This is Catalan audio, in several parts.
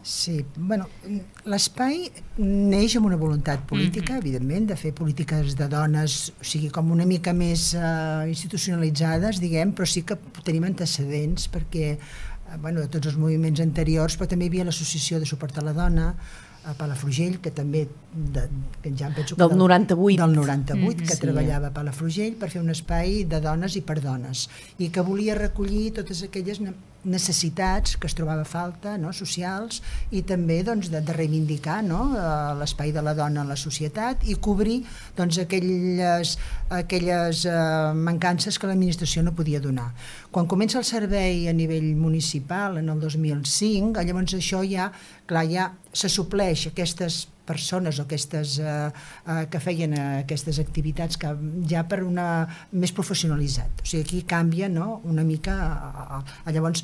Sí, bueno, l'espai neix amb una voluntat política, evidentment, de fer polítiques de dones, o sigui, com una mica més institucionalitzades, diguem, però sí que tenim antecedents, perquè, bueno, de tots els moviments anteriors, però també hi havia l'Associació de Suport a la Dona, a Palafrugell, que també, que ja em penso que del 98, del 98, que treballava a Palafrugell per fer un espai de dones i per dones, i que volia recollir totes aquelles necessitats que es trobava a falta, no, socials, i també doncs, de reivindicar, no, l'espai de la dona en la societat i cobrir doncs, aquelles mancances que l'administració no podia donar. Quan comença el servei a nivell municipal en el 2005, llavors això ja se supleix aquestes persones o aquestes que feien aquestes activitats que ja per una més professionalitzat. O sigui, aquí canvia, no, una mica. Llavors,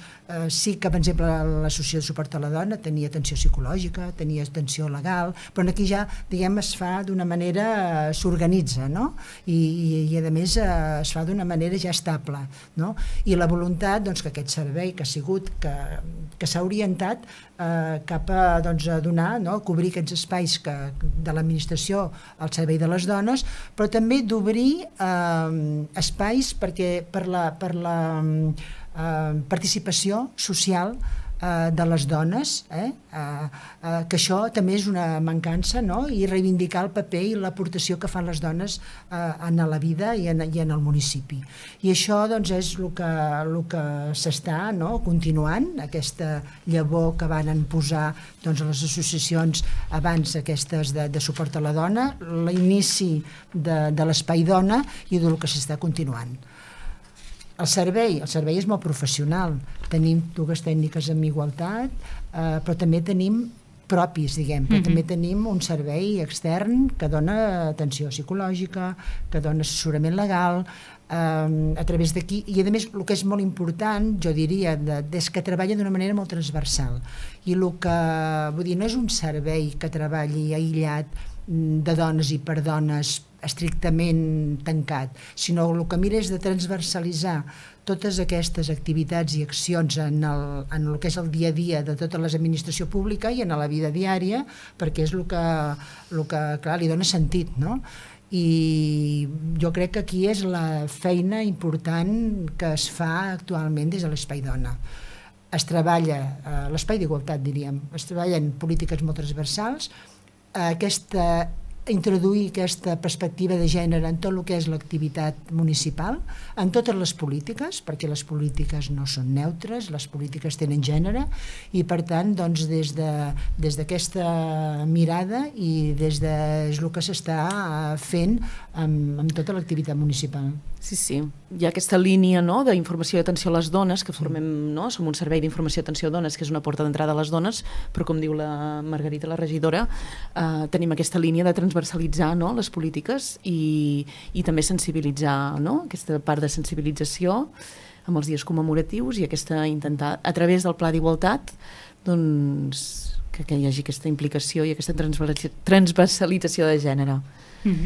sí que, per exemple, l'Associació de Suport a la Dona tenia atenció psicològica, tenia atenció legal, però aquí ja, diguem, es fa d'una manera, s'organitza, no? I a més es fa d'una manera ja estable, no? I la voluntat, doncs, que aquest servei que ha sigut, que s'ha orientat cap a, doncs, a donar, no, cobrir aquests espais de l'administració al servei de les dones, però també d'obrir espais perquè per la participació social de les dones, que això també és una mancança, no? I reivindicar el paper i l'aportació que fan les dones en la vida i en el municipi. I això doncs, és el que s'està, no, continuant, aquesta llavor que van posar doncs, les associacions abans aquestes de suport a la dona, l'inici de l'espai dona i del que s'està continuant. El servei és molt professional. Tenim 2 tècniques en igualtat, però també tenim propis, diguem, però també tenim un servei extern que dona atenció psicològica, que dona assessorament legal, a través d'aquí, i a més el que és molt important, jo diria, és que treballa d'una manera molt transversal, i el que, vull dir, no és un servei que treballi aïllat de dones i per dones estrictament tancat, sinó el que mira és de transversalitzar totes aquestes activitats i accions en el que és el dia a dia de tota l'administració pública i en la vida diària, perquè és el que clar, li dona sentit, no? I jo crec que aquí és la feina important que es fa actualment des de l'Espai Dona. Es treballa, l'espai d'igualtat diríem, es treballen polítiques molt transversals, introduir aquesta perspectiva de gènere en tot el que és l'activitat municipal, en totes les polítiques, perquè les polítiques no són neutres, les polítiques tenen gènere, i per tant, doncs, des d'aquesta mirada i des de el que s'està fent amb tota l'activitat municipal. Sí. Hi ha aquesta línia, no, d'informació i atenció a les dones, que formem, no, som un servei d'informació i atenció a dones, que és una porta d'entrada a les dones, però com diu la Margarita, la regidora, tenim aquesta línia de transversalitzar, no, les polítiques i també sensibilitzar, no, aquesta part de sensibilització amb els dies commemoratius i intentar, a través del Pla d'Igualtat, doncs, que hi hagi aquesta implicació i aquesta transversalització de gènere.